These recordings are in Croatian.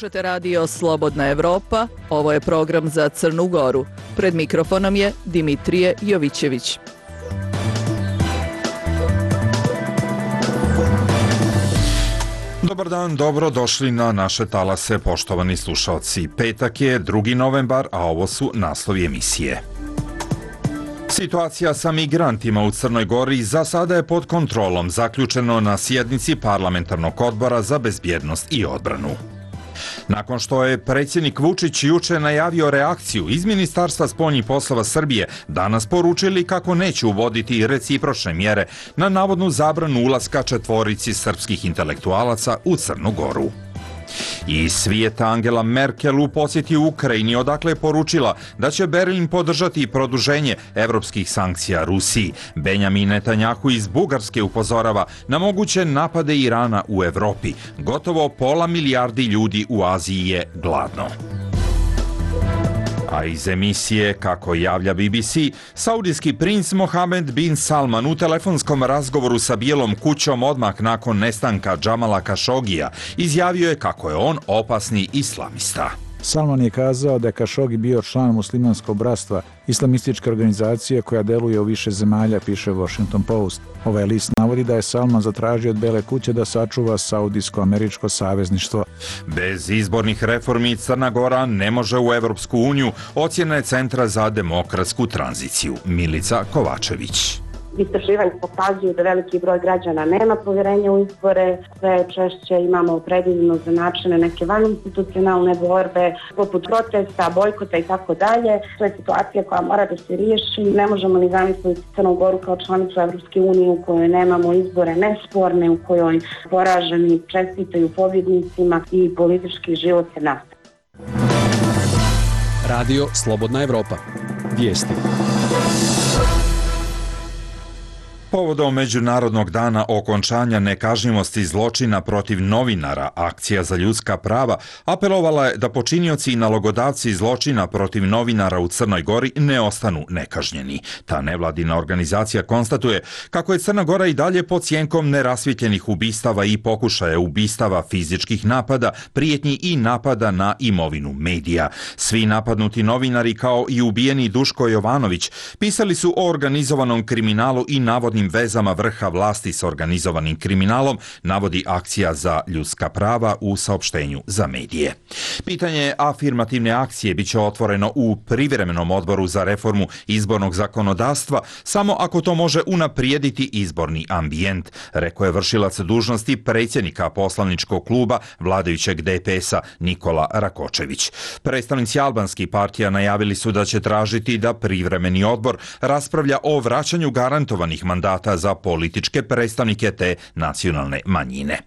Slušate radio Slobodna Evropa, ovo je program za Crnu Goru. Pred mikrofonom je Dimitrije Jovićević. Dobar dan, dobro došli na naše talase, poštovani slušalci. Petak je 2. novembar, a ovo su naslovi emisije. Situacija sa migrantima u Crnoj Gori za sada je pod kontrolom, zaključeno na sjednici Parlamentarnog odbora za bezbjednost i odbranu. Nakon što je predsjednik Vučić juče najavio reakciju iz Ministarstva spoljnih poslova Srbije, danas poručili kako neće uvoditi recipročne mjere na navodnu zabranu ulaska četvorici srpskih intelektualaca u Crnu Goru. I svijeta Angela Merkel u posjeti u Ukrajini, odakle je poručila da će Berlin podržati produženje evropskih sankcija Rusiji. Benjamin Netanjahu iz Bugarske upozorava na moguće napade Irana u Evropi. Gotovo pola milijardi ljudi u Aziji je gladno. A iz emisije, kako javlja BBC, saudijski princ Mohamed bin Salman u telefonskom razgovoru sa Bijelom kućom odmah nakon nestanka Džamala Kašogija izjavio je kako je on opasni islamista. Salman je kazao da je Kašogi bio član muslimanskog bratstva, islamističke organizacije koja deluje u više zemalja, piše Washington Post. Ovaj list navodi da je Salman zatražio od Bele kuće da sačuva saudijsko-američko savezništvo. Bez izbornih reformi Crna Gora ne može u Evropsku uniju, ocjena je Centra za demokratsku tranziciju. Milica Kovačević. Istraživanja pokazuju da veliki broj građana nema povjerenja u izbore, sve češće imamo opredeljeno za načine neke vaninstitucionalne borbe, poput protesta, bojkota i tako dalje. To je situacija koja mora da se riješi. Ne možemo ni zamisliti Crnu Goru kao članicu Evropske unije u kojoj nemamo izbore nesporne, u kojoj poraženi čestitaju pobjednicima i politički život se nastavlja. Radio Slobodna Evropa. Vijesti. Povodom Međunarodnog dana okončanja nekažnjivosti zločina protiv novinara, Akcija za ljudska prava apelovala je da počinioci i nalogodavci zločina protiv novinara u Crnoj Gori ne ostanu nekažnjeni. Ta nevladina organizacija konstatuje kako je Crna Gora i dalje pod sjenkom nerasvjetljenih ubistava i pokušaja ubistava, fizičkih napada, prijetnji i napada na imovinu medija. Svi napadnuti novinari, kao i ubijeni Duško Jovanović, pisali su o organizovanom kriminalu i navodnim vezama vrha vlasti s organizovanim kriminalom, navodi Akcija za ljudska prava u saopštenju za medije. Pitanje afirmativne akcije biće otvoreno u privremenom odboru za reformu izbornog zakonodavstva samo ako to može unaprijediti izborni ambijent, rekao je vršilac dužnosti predsjednika poslaničkog kluba vladajućeg DPS-a Nikola Rakočević. Predstavnici albanskih partija najavili su da će tražiti da privremeni odbor raspravlja o vraćanju garantovanih mandata za političke predstavnike te nacionalne manjine.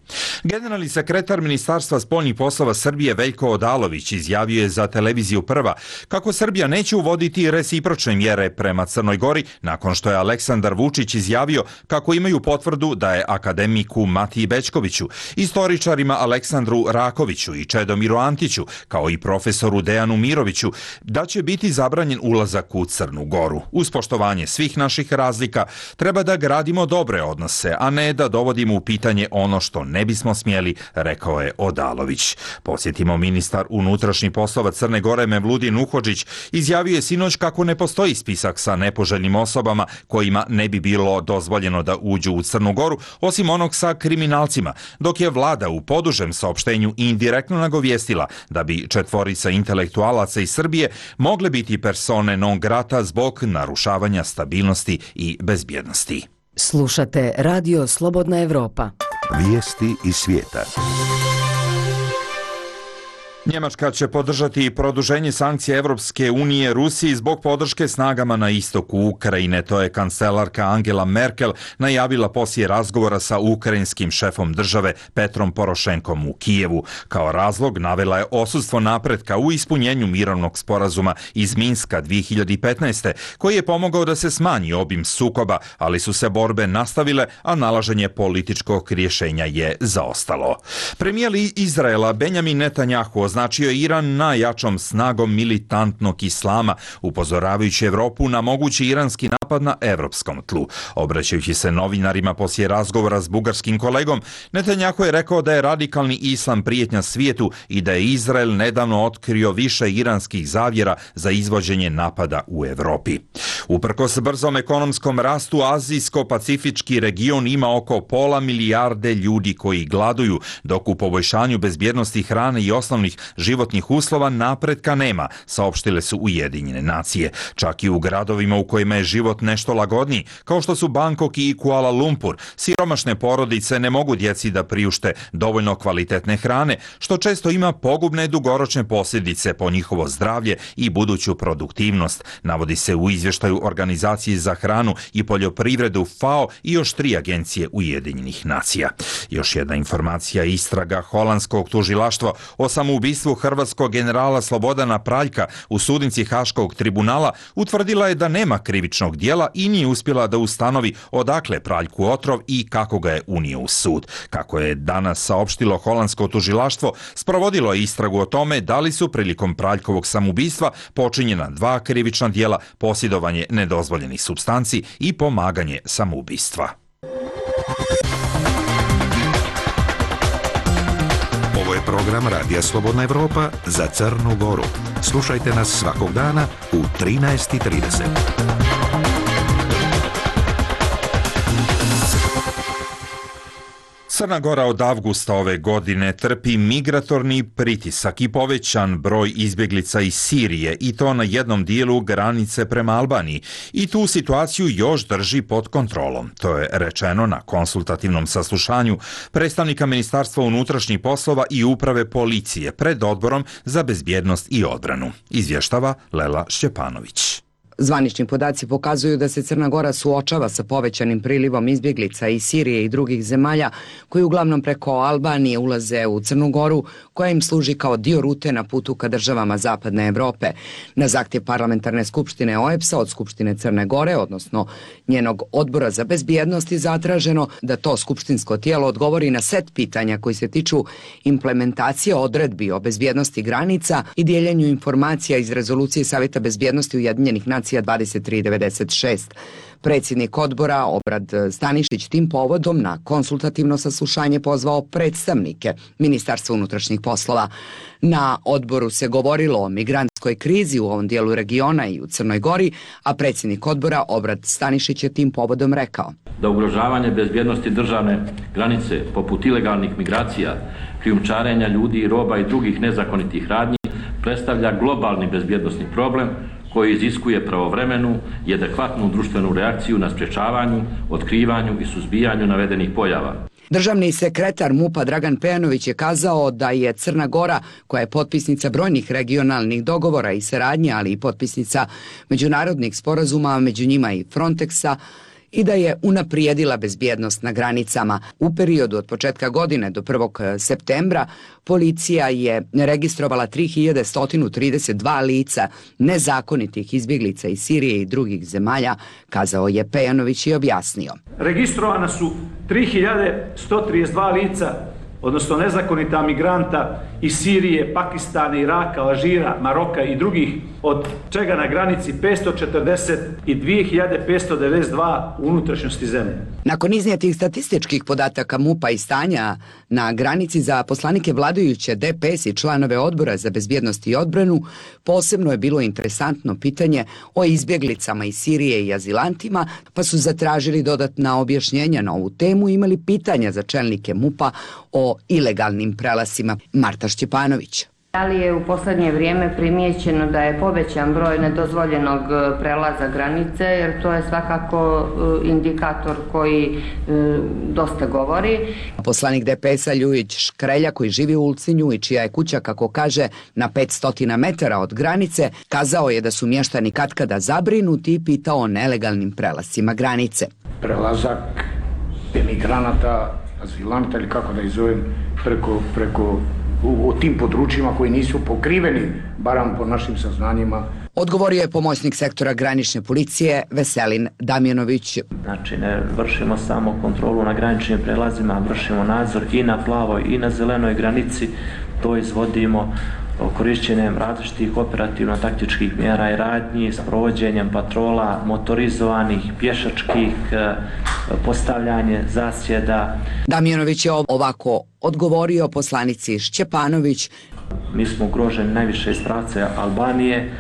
Generalni sekretar Ministarstva spoljnih poslova Srbije Veljko Odalović izjavio je za televiziju Prva kako Srbija neće uvoditi recipročne mjere prema Crnoj Gori nakon što je Aleksandar Vučić izjavio kako imaju potvrdu da je akademiku Matiji Bećkoviću, istoričarima Aleksandru Rakoviću i Čedomiru Antiću, kao i profesoru Dejanu Miroviću, da će biti zabranjen ulazak u Crnu Goru. Uz poštovanje svih naših razlika treba da gradimo dobre odnose, a ne da dovodimo u pitanje ono što ne bismo smjeli, rekao je Odalović. Podsjetimo, ministar unutrašnjih poslova Crne Gore Mevludin Uhodžić izjavio je sinoć kako ne postoji spisak sa nepoželjnim osobama kojima ne bi bilo dozvoljeno da uđu u Crnu Goru, osim onog sa kriminalcima, dok je vlada u podužem saopštenju indirektno nagovijestila da bi četvorica intelektualaca iz Srbije mogle biti persone non grata zbog narušavanja stabilnosti i bezbjednosti. Slušate Radio Slobodna Evropa. Vijesti iz svijeta. Njemačka će podržati produženje sankcija Evropske unije Rusiji zbog podrške snagama na istoku Ukrajine. To je kancelarka Angela Merkel najavila poslije razgovora sa ukrajinskim šefom države Petrom Porošenkom u Kijevu. Kao razlog navela je odsustvo napretka u ispunjenju mirovnog sporazuma iz Minska 2015. koji je pomogao da se smanji obim sukoba, ali su se borbe nastavile, a nalaženje političkog rješenja je zaostalo. Premijer Izraela Benjamin Netanjahu označio je Iran najjačom snagom militantnog islama, upozoravajući Evropu na mogući iranski napad na evropskom tlu. Obraćajući se novinarima poslije razgovora s bugarskim kolegom, Netanjahu je rekao da je radikalni islam prijetnja svijetu i da je Izrael nedavno otkrio više iranskih zavjera za izvođenje napada u Europi. Uprkos brzom ekonomskom rastu, azijsko-pacifički region ima oko pola milijarde ljudi koji gladuju, dok u poboljšanju bezbjednosti hrane i osnovnih životnih uslova napretka nema, saopštile su Ujedinjene nacije. Čak i u gradovima u kojima je život nešto lagodniji, kao što su Bangkok i Kuala Lumpur, siromašne porodice ne mogu djeci da priušte dovoljno kvalitetne hrane, što često ima pogubne dugoročne posljedice po njihovo zdravlje i buduću produktivnost, navodi se u izvještaju Organizacije za hranu i poljoprivredu FAO i još 3 agencije Ujedinjenih nacija. Još jedna informacija: istraga holandskog tužilaštva o samoubistvu hrvatskog generala Slobodana Praljka u sudnici Haškog tribunala utvrdila je da nema krivičnog djela i nije uspjela da ustanovi odakle Praljku otrov i kako ga je unio u sud. Kako je danas saopštilo holandsko tužilaštvo, sprovodilo je istragu o tome da li su prilikom Praljkovog samoubistva počinjena 2 krivična djela: posjedovanje nedozvoljenih supstanci i pomaganje samoubistva. Ovo je program Radija Slobodna Evropa za Crnu Goru. Slušajte nas svakog dana u 13:30. Crna Gora od avgusta ove godine trpi migratorni pritisak i povećan broj izbjeglica iz Sirije, i to na jednom dijelu granice prema Albaniji, i tu situaciju još drži pod kontrolom. To je rečeno na konsultativnom saslušanju predstavnika Ministarstva unutrašnjih poslova i uprave policije pred Odborom za bezbjednost i odbranu. Izvještava Lela Šćepanović. Zvanični podaci pokazuju da se Crna Gora suočava sa povećanim prilivom izbjeglica iz Sirije i drugih zemalja koji uglavnom preko Albanije ulaze u Crnu Goru, koja im služi kao dio rute na putu ka državama Zapadne Evrope. Na zahtjev Parlamentarne skupštine OEBS-a od Skupštine Crne Gore, odnosno njenog Odbora za bezbjednost, je zatraženo da to skupštinsko tijelo odgovori na set pitanja koji se tiču implementacije odredbi o bezbjednosti granica i dijeljenju informacija iz rezolucije Savjeta bezbjednosti Ujedinjenih nacija 2396. Predsjednik odbora Obrad Stanišić tim povodom na konsultativno saslušanje pozvao predstavnike Ministarstva unutrašnjih poslova. Na odboru se govorilo o migrantskoj krizi u ovom dijelu regiona i u Crnoj Gori, a predsjednik odbora Obrad Stanišić je tim povodom rekao da ugrožavanje bezbjednosti državne granice poput ilegalnih migracija, krijumčarenja ljudi i roba i drugih nezakonitih radnji predstavlja globalni bezbjednosni problem koji iziskuje pravovremenu i adekvatnu društvenu reakciju na sprječavanju, otkrivanju i suzbijanju navedenih pojava. Državni sekretar MUP-a Dragan Pejanović je kazao da je Crna Gora, koja je potpisnica brojnih regionalnih dogovora i saradnje, ali i potpisnica međunarodnih sporazuma, među njima i Frontexa, i da je unaprijedila bezbjednost na granicama. U periodu od početka godine do 1. septembra policija je registrovala 3132 lica nezakonitih izbjeglica iz Sirije i drugih zemalja, kazao je Pejanović i objasnio. Registrovana su 3132 lica, odnosno nezakonita migranta iz Sirije, Pakistana, Iraka, Alžira, Maroka i drugih, od čega na granici 540 i 2592 u unutrašnjosti zemlje. Nakon iznijetih statističkih podataka MUP-a i stanja na granici, za poslanike vladajuće DPS i članove Odbora za bezbjednost i odbranu posebno je bilo interesantno pitanje o izbjeglicama iz Sirije i azilantima, pa su zatražili dodatna objašnjenja na ovu temu i imali pitanja za čelnike MUP-a o ilegalnim prelasima. Marta Šćepanović. Da li je u posljednje vrijeme primijećeno da je povećan broj nedozvoljenog prelaza granice, jer to je svakako indikator koji dosta govori. Poslanik DPS-a Ljujić Škrelja, koji živi u Ulcinju i čija je kuća, kako kaže, na 500 metara od granice, kazao je da su mještani katkada zabrinuti i pitao o nelegalnim prelascima granice. Prelazak emigranata, azilanta ili kako da izovem, preko u tim područjima koji nisu pokriveni, barem po našim saznanjima. Odgovorio je pomoćnik sektora granične policije Veselin Damjanović. Znači, ne vršimo samo kontrolu na graničnim prelazima, vršimo nadzor i na plavoj i na zelenoj granici. To izvodimo korišćenjem različitih operativno-taktičkih mjera i radnji, s provođenjem patrola motorizovanih, pješačkih, postavljanje zasjeda. Damjanović je ovako odgovorio poslanici Šćepanović. Mi smo ugroženi najviše iz pravca Albanije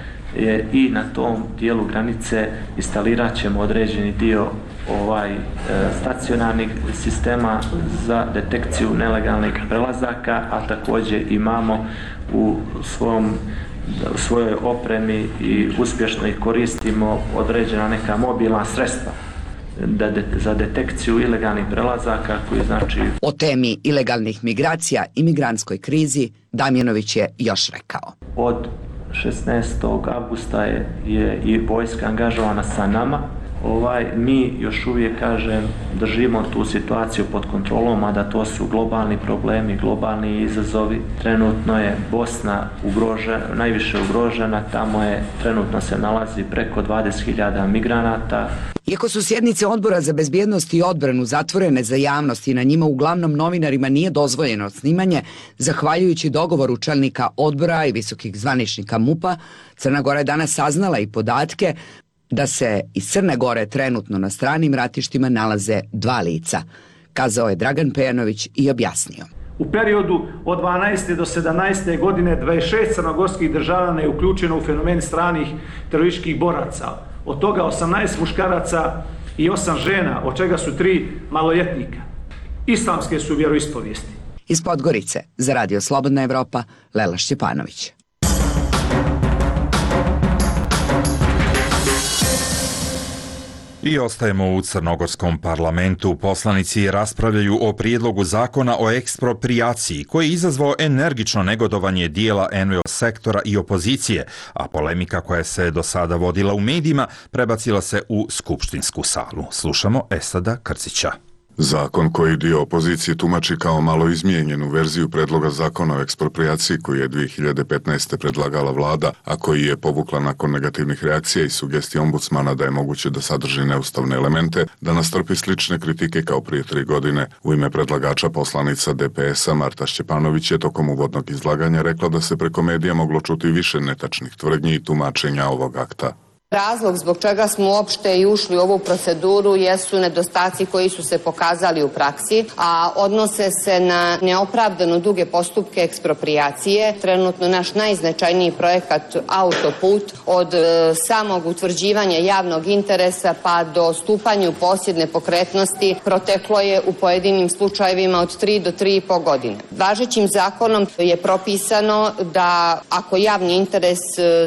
i na tom dijelu granice instalirat ćemo određeni dio stacionarnih sistema za detekciju nelegalnih prelazaka, a također imamo u svojoj opremi i uspješno ih koristimo određena neka mobilna sredstva za detekciju ilegalnih prelazaka koji znači... O temi ilegalnih migracija i migrantskoj krizi Damjanović je još rekao. Od 16. avgusta je i vojska angažovana sa nama. Mi još uvijek, držimo tu situaciju pod kontrolom, a da to su globalni problemi, globalni izazovi. Trenutno je Bosna najviše ugrožena, trenutno se nalazi preko 20.000 migranata. Iako su sjednice Odbora za bezbjednost i odbranu zatvorene za javnost i na njima uglavnom novinarima nije dozvoljeno snimanje, zahvaljujući dogovoru čelnika odbora i visokih zvaničnika MUP-a, Crna Gora je danas saznala i podatke da se iz Crne Gore trenutno na stranim ratištima nalaze 2 lica, kazao je Dragan Pejanović i objasnio. U periodu od 12. do 17. godine 26 crnogorskih državljana je uključeno u fenomen stranih terorističkih boraca. Od toga 18 muškaraca i 8 žena, od čega su 3 maloljetnika. Islamske su vjeroispovijesti. Iz Podgorice, za Radio Slobodna Evropa, Lela Šćepanović. I ostajemo u crnogorskom parlamentu. Poslanici raspravljaju o prijedlogu zakona o eksproprijaciji koji je izazvao energično negodovanje dijela NVO sektora i opozicije, a polemika koja se do sada vodila u medijima prebacila se u skupštinsku salu. Slušamo Esada Krcića. Zakon koji dio opozicije tumači kao malo izmijenjenu verziju predloga zakona o eksproprijaciji koji je 2015. predlagala vlada, a koji je povukla nakon negativnih reakcija i sugestija ombudsmana da je moguće da sadrži neustavne elemente, danas trpi slične kritike kao prije 3 godine. U ime predlagača poslanica DPS-a Marta Šćepanović je tokom uvodnog izlaganja rekla da se preko medija moglo čuti više netačnih tvrdnji i tumačenja ovog akta. Razlog zbog čega smo uopšte i ušli u ovu proceduru jesu nedostaci koji su se pokazali u praksi, a odnose se na neopravdano duge postupke eksproprijacije. Trenutno naš najznačajniji projekat autoput od samog utvrđivanja javnog interesa pa do stupanja u posjed nepokretnosti proteklo je u pojedinim slučajevima od 3 do 3,5 godine. Važećim zakonom je propisano da ako javni interes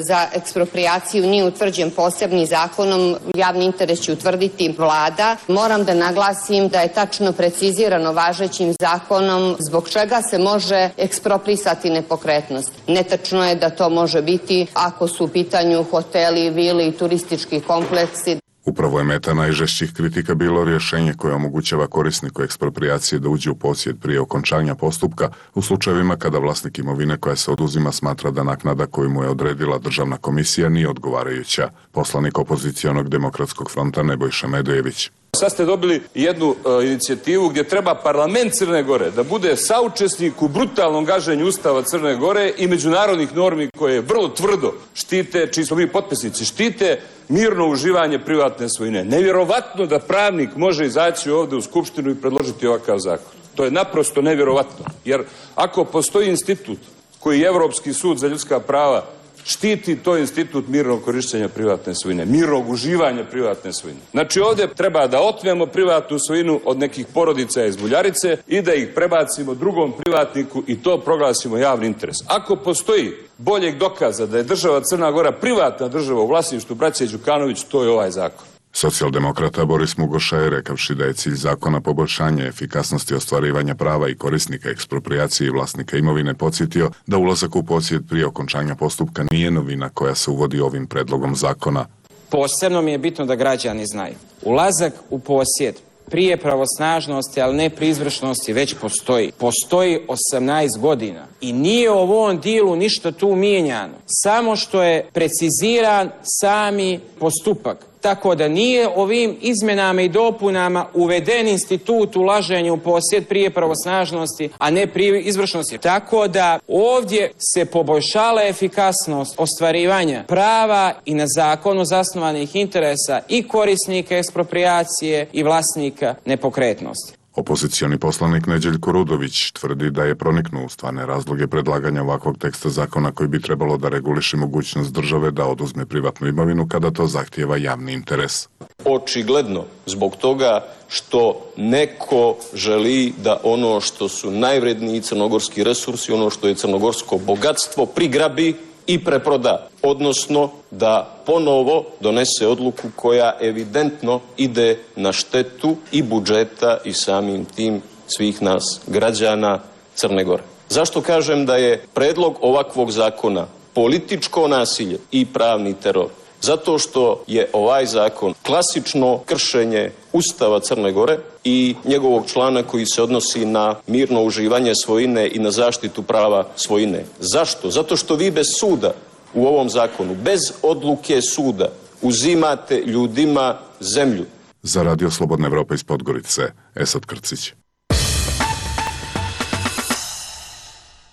za eksproprijaciju nije utvrđen posebnim zakonom, javni interes će utvrditi vlada. Moram da naglasim da je tačno precizirano važećim zakonom zbog čega se može eksproprisati nepokretnost. Netačno je da to može biti ako su u pitanju hoteli, vile i turistički kompleksi. Upravo je meta najžešćih kritika bilo rješenje koje omogućava korisniku eksproprijacije da uđe u posjed prije okončanja postupka u slučajevima kada vlasnik imovine koja se oduzima smatra da naknada koju mu je odredila državna komisija nije odgovarajuća. Poslanik opozicionog Demokratskog fronta Nebojša Medojević. Sad ste dobili jednu inicijativu gdje treba parlament Crne Gore da bude saučesnik u brutalnom gaženju Ustava Crne Gore i međunarodnih normi koje vrlo tvrdo štite, čiji smo mi potpisnici, štite mirno uživanje privatne svojine. Nevjerovatno da pravnik može izaći ovdje u Skupštinu i predložiti ovakav zakon. To je naprosto nevjerovatno. Jer ako postoji institut koji Europski sud za ljudska prava štiti, to je institut mirnog korištenja privatne svojine, mirnog uživanja privatne svojine. Znači ovdje treba da otmemo privatnu svojinu od nekih porodica iz Buljarice i da ih prebacimo drugom privatniku i to proglasimo javni interes. Ako postoji boljeg dokaza da je država Crna Gora privatna država u vlasništvu braće Đukanović, to je ovaj zakon. Socijaldemokrata Boris Mugoša je rekavši da je cilj zakona poboljšanje efikasnosti ostvarivanja prava i korisnika eksproprijacije i vlasnika imovine podsjetio da ulazak u posjed prije okončanja postupka nije novina koja se uvodi ovim predlogom zakona. Posebno mi je bitno da građani znaju. Ulazak u posjed prije pravosnažnosti, ali ne pri izvršnosti, već postoji. Postoji 18 godina. I nije u ovom dilu ništa tu mijenjano. Samo što je preciziran sami postupak. Tako da nije ovim izmenama i dopunama uveden institut ulaženja u posjed prije pravosnažnosti, a ne prije izvršnosti. Tako da ovdje se poboljšala efikasnost ostvarivanja prava i na zakonu zasnovanih interesa i korisnika eksproprijacije i vlasnika nepokretnosti. Opozicioni poslanik Neđeljko Rudović tvrdi da je proniknuo u stvarne razloge predlaganja ovakvog teksta zakona koji bi trebalo da reguliše mogućnost države da oduzme privatnu imovinu kada to zahtijeva javni interes. Očigledno zbog toga što neko želi da ono što su najvredniji crnogorski resursi, ono što je crnogorsko bogatstvo prigrabi i preproda, odnosno da ponovo donese odluku koja evidentno ide na štetu i budžeta i samim tim svih nas građana Crne Gore. Zašto kažem da je predlog ovakvog zakona političko nasilje i pravni teror? Zato što je ovaj zakon klasično kršenje Ustava Crne Gore i njegovog člana koji se odnosi na mirno uživanje svojine i na zaštitu prava svojine. Zašto? Zato što vi bez suda u ovom zakonu, bez odluke suda, uzimate ljudima zemlju. Za Radio Slobodna Evropa iz Podgorice, Esad Krcić.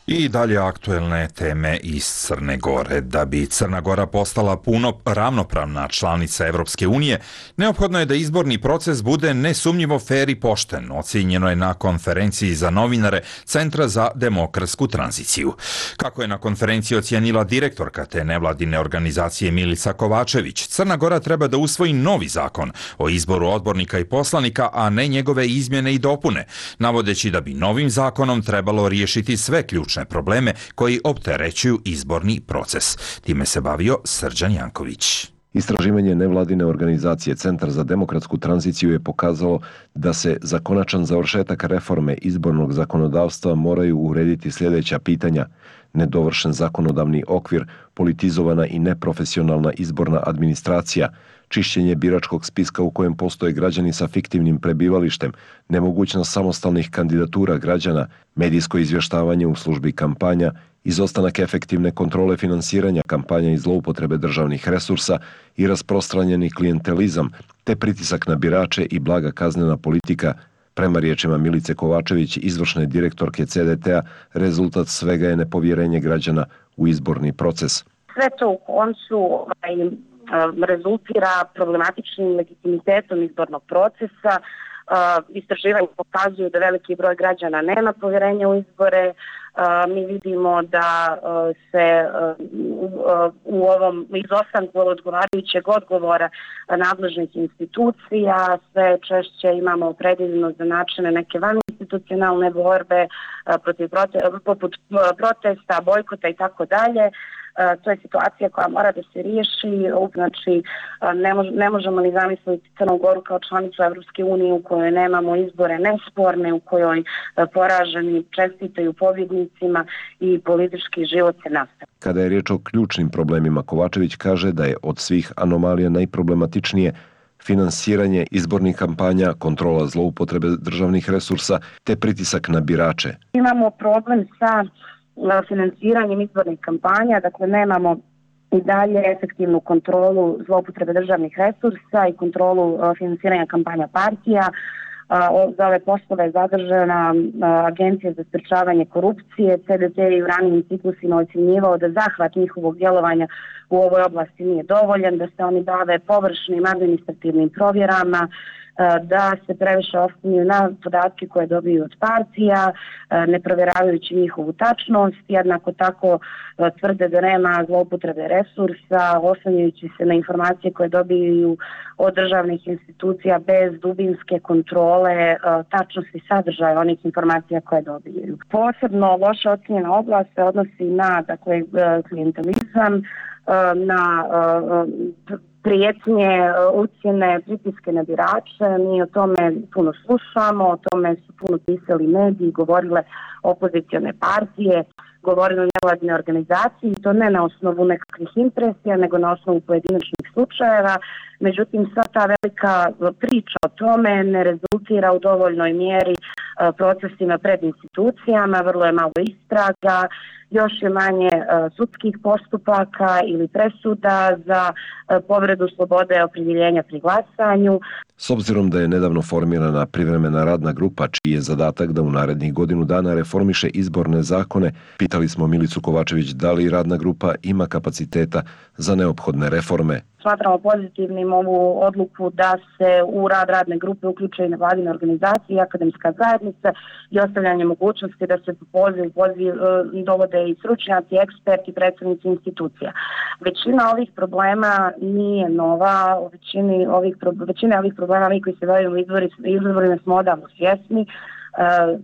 I dalje aktuelne teme iz Crne Gore. Da bi Crna Gora postala puno ravnopravna članica Evropske unije, neophodno je da izborni proces bude nesumnjivo fer i pošten, ocijenjeno je na konferenciji za novinare Centra za demokratsku tranziciju. Kako je na konferenciji ocijenila direktorka te nevladine organizacije Milica Kovačević, Crna Gora treba da usvoji novi zakon o izboru odbornika i poslanika, a ne njegove izmjene i dopune, navodeći da bi novim zakonom trebalo riješiti sve ključne probleme koji opterećuju izborni proces. Time se bavio Srđan Janković. Istraživanje nevladine organizacije Centar za demokratsku tranziciju je pokazalo da se za konačan završetak reforme izbornog zakonodavstva moraju urediti sljedeća pitanja: nedovršen zakonodavni okvir, politizovana i neprofesionalna izborna administracija, čišćenje biračkog spiska u kojem postoje građani sa fiktivnim prebivalištem, nemogućnost samostalnih kandidatura građana, medijsko izvještavanje u službi kampanja, izostanak efektivne kontrole finansiranja kampanja i zloupotrebe državnih resursa i rasprostranjeni klijentelizam, te pritisak na birače i blaga kaznena politika. Prema riječima Milice Kovačević, izvršne direktorke CDT-a, rezultat svega je nepovjerenje građana u izborni proces. Sve to u koncu rezultira problematičnim legitimitetom izbornog procesa. Istraživanja pokazuju da veliki broj građana nema povjerenja u izbore. Mi vidimo da se u ovom izostanku odgovarajućeg odgovora nadležnih institucija sve češće imamo opredeljeno za načine neke vaninstitucionalne borbe poput protesta, bojkota i tako dalje. To je situacija koja mora da se riješi. Znači, ne možemo ni zamisliti Crnu Goru kao članicu Evropske unije u kojoj nemamo izbore nesporne, u kojoj poraženi čestitaju pobjednicima i politički život se nastavlja. Kada je riječ o ključnim problemima, Kovačević kaže da je od svih anomalija najproblematičnije finansiranje izbornih kampanja, kontrola zloupotrebe državnih resursa te pritisak na birače. Imamo problem sa finansiranjem izbornih kampanja, dakle nemamo i dalje efektivnu kontrolu zloupotrebe državnih resursa i kontrolu finansiranja kampanja partija. Za ove poslove je zadržana Agencija za sprečavanje korupcije. CDC je u ranijim ciklusima ocjenjivao da zahvat njihovog djelovanja u ovoj oblasti nije dovoljan, da se oni bave površnim administrativnim provjerama, da se previše oslanjaju na podatke koje dobiju od partija, ne provjeravajući njihovu tačnost, jednako tako tvrde da nema zloupotrebe resursa, oslanjajući se na informacije koje dobiju od državnih institucija bez dubinske kontrole tačnosti sadržaja onih informacija koje dobiju. Posebno loše ocjenjena oblast se odnosi na klijentelizam, na prijetnje, ucjene, pritiske na birače. Mi o tome puno slušamo, o tome su puno pisali mediji, govorile opozicione partije. govorili o nevladinoj organizaciji i to ne na osnovu nekakvih impresija, nego na osnovu pojedinačnih slučajeva. Međutim, sva ta velika priča o tome ne rezultira u dovoljnoj mjeri procesima pred institucijama, vrlo je malo istraga, još je manje sudskih postupaka ili presuda za povredu slobode opredjeljenja pri glasanju. S obzirom da je nedavno formirana privremena radna grupa čiji je zadatak da u narednih godinu dana reformiše izborne zakone, pitali smo Milicu Kovačević da li radna grupa ima kapaciteta za neophodne reforme. Smatramo pozitivnim ovu odluku da se u rad radne grupe uključe i nevladine organizacije i akademska zajednica i ostavljanje mogućnosti da se po poziv dovode i stručnjaci, eksperti, predstavnici institucija. Većina ovih problema nije nova, većina ovih problema mi koji se bavimo izborima smo odavno svjesni.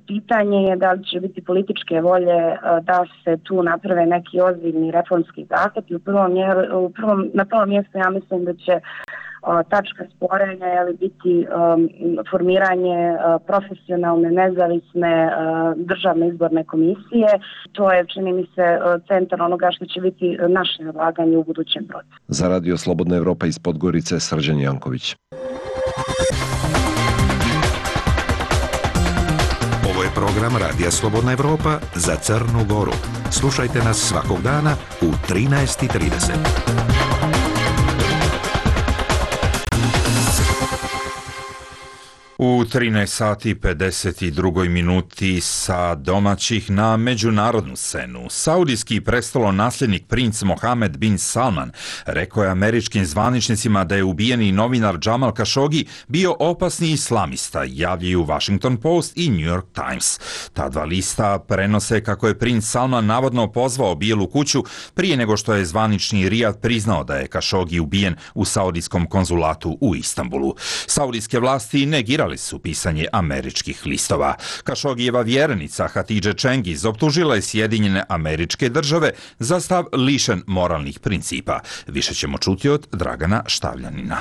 Pitanje je da li će biti političke volje da se tu naprave neki ozbiljni reformski zahvat i na prvom mjestu ja mislim da će tačka sporenja biti formiranje profesionalne, nezavisne državne izborne komisije. To je, čini mi se, centar onoga što će biti naše ulaganje u budućem procesu. Za Radio Slobodna Evropa iz Podgorice, Srđan Janković. Ovo je program Radija Slobodna Evropa za Crnu Goru. Slušajte nas svakog dana u 13:30. U 13 sati 52 minuti sa domaćih na međunarodnu scenu. Saudijski prestolonasljednik princ Mohamed bin Salman rekao je američkim zvaničnicima da je ubijeni novinar Jamal Khashoggi bio opasni islamista, javljaju Washington Post i New York Times. Ta dva lista prenose kako je princ Salman navodno pozvao Bijelu kuću prije nego što je zvanični Rijad priznao da je Khashoggi ubijen u saudijskom konzulatu u Istanbulu. Saudijske vlasti negirali su pisanje američkih listova. Khashoggijeva vjerenica Hatidže Cengiz optužila je Sjedinjene Američke Države za stav lišen moralnih principa. Više ćemo čuti od Dragana Štavljanina.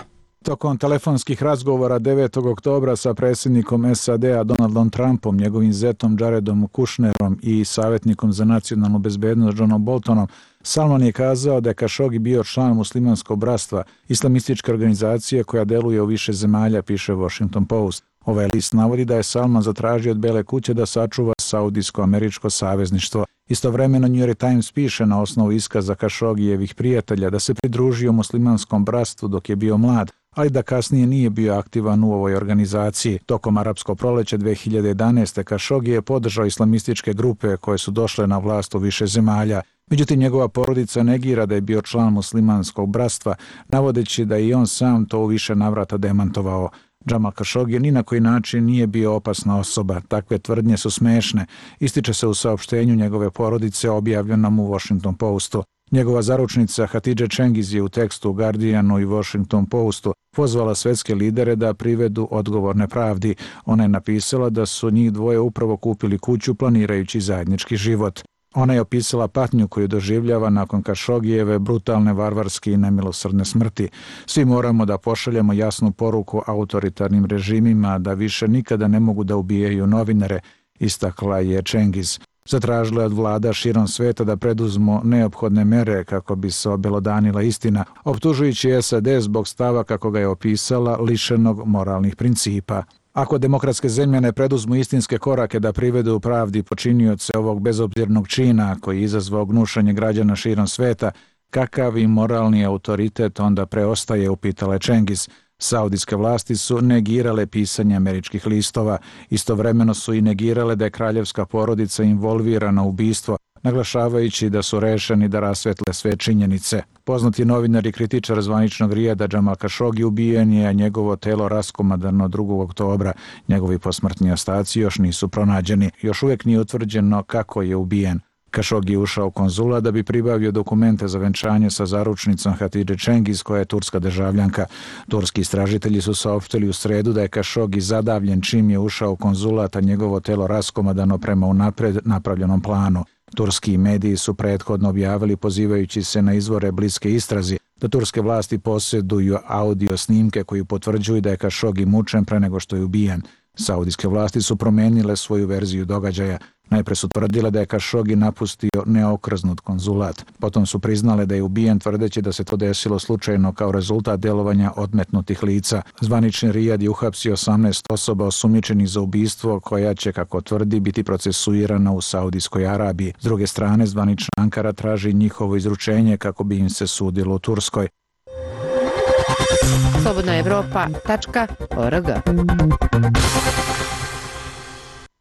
Tokom telefonskih razgovora 9. oktobra sa predsjednikom SAD-a Donaldom Trumpom, njegovim zetom Jaredom Kushnerom i savjetnikom za nacionalnu bezbednost Johnom Boltonom, Salman je kazao da je Khashoggi bio član muslimanskog bratstva, islamističke organizacije koja deluje u više zemalja, piše Washington Post. Ovaj list navodi da je Salman zatražio od Bele kuće da sačuva saudijsko-američko savezništvo. Istovremeno New York Times piše na osnovu iskaza Khashoggijevih prijatelja da se pridružio muslimanskom bratstvu dok je bio mlad, ali da kasnije nije bio aktivan u ovoj organizaciji. Tokom arapskog proleća 2011. Khashoggi je podržao islamističke grupe koje su došle na vlast u više zemalja. Međutim, njegova porodica negira da je bio član muslimanskog bratstva, navodeći da je i on sam to u više navrata demantovao. Jamal Khashoggi ni na koji način nije bio opasna osoba. Takve tvrdnje su smešne, ističe se u saopštenju njegove porodice objavljenom u Washington Postu. Njegova zaručnica Hatidže Cengiz je u tekstu u Guardianu i Washington Postu pozvala svetske lidere da privedu odgovorne pravdi. Ona je napisala da su njih dvoje upravo kupili kuću planirajući zajednički život. Ona je opisala patnju koju doživljava nakon Khashoggijeve brutalne, varvarske i nemilosrdne smrti. Svi moramo da pošaljemo jasnu poruku autoritarnim režimima da više nikada ne mogu da ubijaju novinare, istakla je Cengiz. Zatražila je od vlada širom sveta da preduzmu neophodne mere kako bi se obelodanila istina, optužujući SAD zbog stava, kako ga je opisala, lišenog moralnih principa. Ako demokratske zemlje ne preduzmu istinske korake da privedu u pravdi počinioce ovog bezobzirnog čina koji je izazvao gnušanje građana širom sveta, kakav i moralni autoritet onda preostaje, upitala je Cengiz. Saudijske vlasti su negirale pisanje američkih listova. Istovremeno su i negirale da je kraljevska porodica involvirana u ubistvo, naglašavajući da su rešeni da rasvetle sve činjenice. Poznati novinar i kritičar zvaničnog Rijada Jamal Khashoggi ubijen je, a njegovo telo raskomadano 2. oktobra. Njegovi posmrtni ostaci još nisu pronađeni. Još uvijek nije utvrđeno kako je ubijen. Khashoggi je ušao u konzulat da bi pribavio dokumente za venčanje sa zaručnicom Hatidže Cengiz, koja je turska državljanka. Turski istražitelji su saopštili u sredu da je Khashoggi zadavljen čim je ušao u konzulat, a njegovo telo raskomadano prema unapred napravljenom planu. Turski mediji su prethodno objavili, pozivajući se na izvore bliske istrazi, da turske vlasti posjeduju audio snimke koji potvrđuju da je Khashoggi mučen pre nego što je ubijen. Saudijske vlasti su promenile svoju verziju događaja. Najpre su tvrdile da je Kašogi napustio neokrznut konzulat. Potom su priznale da je ubijen tvrdeći da se to desilo slučajno kao rezultat djelovanja odmetnutih lica. Zvanični Rijad je uhapsio 18 osoba osumnjičenih za ubistvo koja će, kako tvrdi, biti procesuirana u Saudijskoj Arabiji. S druge strane, zvanična Ankara traži njihovo izručenje kako bi im se sudilo u Turskoj. slobodnaevropa.org.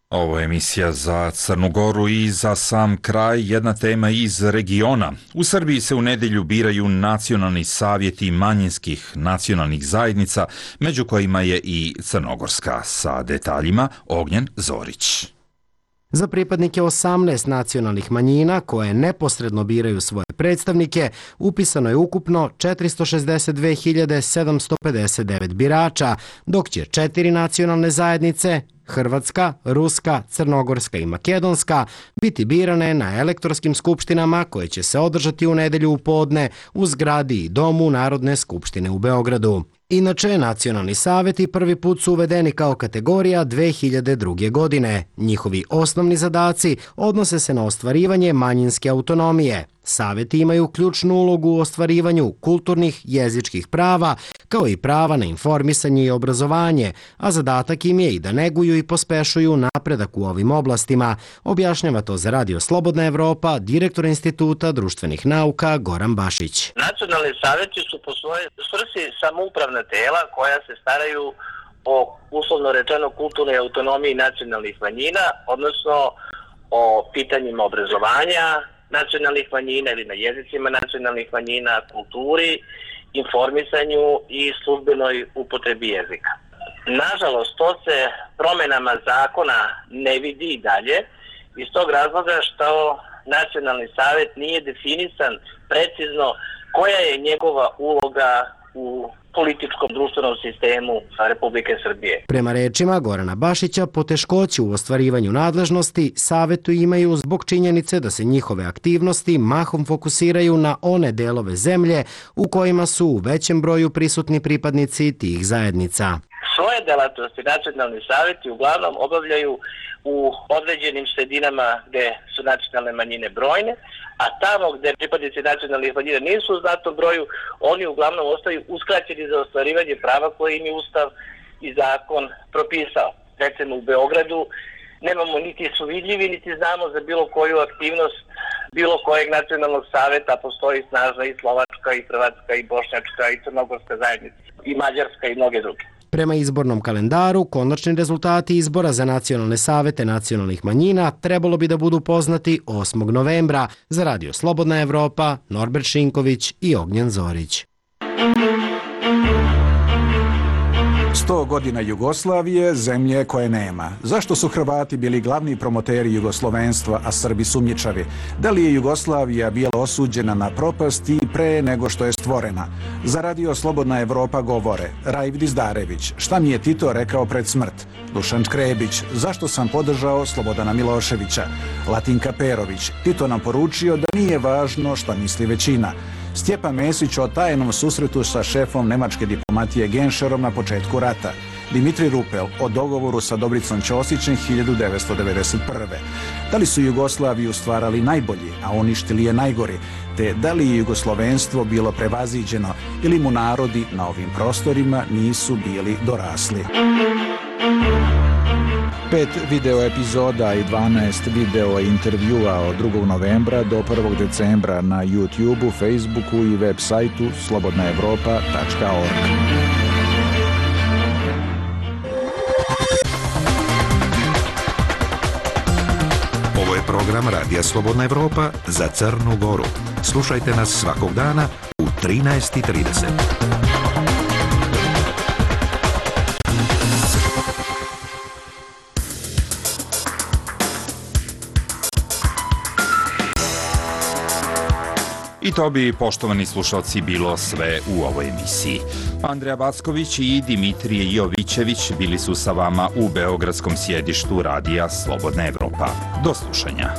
Ovo je emisija za Crnu Goru i za sam kraj jedna tema iz regiona. U Srbiji se u nedjelju biraju nacionalni savjeti manjinskih nacionalnih zajednica, među kojima je i crnogorska. Sa detaljima Ognjen Zorić. Za pripadnike 18 nacionalnih manjina koje neposredno biraju svoje predstavnike upisano je ukupno 462.759 birača, dok će 4 nacionalne zajednice, Hrvatska, Ruska, Crnogorska i Makedonska, biti birane na elektorskim skupštinama koje će se održati u nedjelju u podne u zgradi i domu Narodne skupštine u Beogradu. Inače, nacionalni savjeti prvi put su uvedeni kao kategorija 2002. godine. Njihovi osnovni zadaci odnose se na ostvarivanje manjinske autonomije. Savjeti imaju ključnu ulogu u ostvarivanju kulturnih, jezičkih prava, kao i prava na informisanje i obrazovanje, a zadatak im je i da neguju i pospešuju napredak u ovim oblastima, objašnjava to za Radio Slobodna Evropa direktor Instituta društvenih nauka Goran Bašić. Nacionalni savjeti su po svojoj svrsi samoupravna tela koja se staraju o, uslovno rečeno, kulturnoj autonomiji nacionalnih manjina, odnosno o pitanjima obrazovanja nacionalnih manjina ili na jezicima nacionalnih manjina, kulturi, informisanju i službenoj upotrebi jezika. Nažalost, to se promjenama zakona ne vidi i dalje iz tog razloga što nacionalni savjet nije definisan precizno koja je njegova uloga u političkom društvenom sistemu Republike Srbije. Prema rečima Gorana Bašića, poteškoće u ostvarivanju nadležnosti savjetu imaju zbog činjenice da se njihove aktivnosti mahom fokusiraju na one delove zemlje u kojima su u većem broju prisutni pripadnici tih zajednica. Svoje delatnosti nacionalni savjeti uglavnom obavljaju u određenim sredinama gdje su nacionalne manjine brojne, a tamo gdje pripadnici nacionalnih manjina nisu u znatnom broju, oni uglavnom ostaju uskraćeni za ostvarivanje prava koje im je Ustav i zakon propisao. Recimo u Beogradu nemamo niti su vidljivi, niti znamo za bilo koju aktivnost bilo kojeg nacionalnog savjeta, postoji snažna i slovačka, i hrvatska, i bošnjačka, i crnogorska zajednica, i mađarska i mnoge druge. Prema izbornom kalendaru, konačni rezultati izbora za nacionalne savete nacionalnih manjina trebalo bi da budu poznati 8. novembra. Za Radio Slobodna Evropa, Norbert Šinković i Ognjen Zorić. 100 godina Jugoslavije, zemlje koje nema. Zašto su Hrvati bili glavni promoteri jugoslovenstva, a Srbi sumnjičavi? Da li je Jugoslavija bila osuđena na propast i pre nego što je stvorena? Za Radio Slobodna Evropa govore Raif Dizdarević, šta mi je Tito rekao pred smrt? Dušan Škrebić, zašto sam podržao Slobodana Miloševića? Latinka Perović, Tito nam poručio da nije važno šta misli većina. Stjepan Mesić o tajnom susretu sa šefom nemačke diplomatije Genšerom na početku rata. Dimitri Rupel o dogovoru sa Dobricom Ćosićem 1991. Da li su Jugoslaviju stvarali najbolji, a uništili je najgori, te da li je jugoslovenstvo bilo prevaziđeno ili mu narodi na ovim prostorima nisu bili dorasli. 5 video epizoda i 12 video intervjua od 2. novembra do 1. decembra na YouTubeu, Facebooku i web sajtu slobodnaevropa.org. Ovo je program Radija Slobodna Evropa za Crnu Goru. Slušajte nas svakog dana u 13:30. I to bi, poštovani slušalci, bilo sve u ovoj emisiji. Andreja Backović i Dimitrije Jovićević bili su sa vama u beogradskom sjedištu Radija Slobodna Evropa. Do slušanja.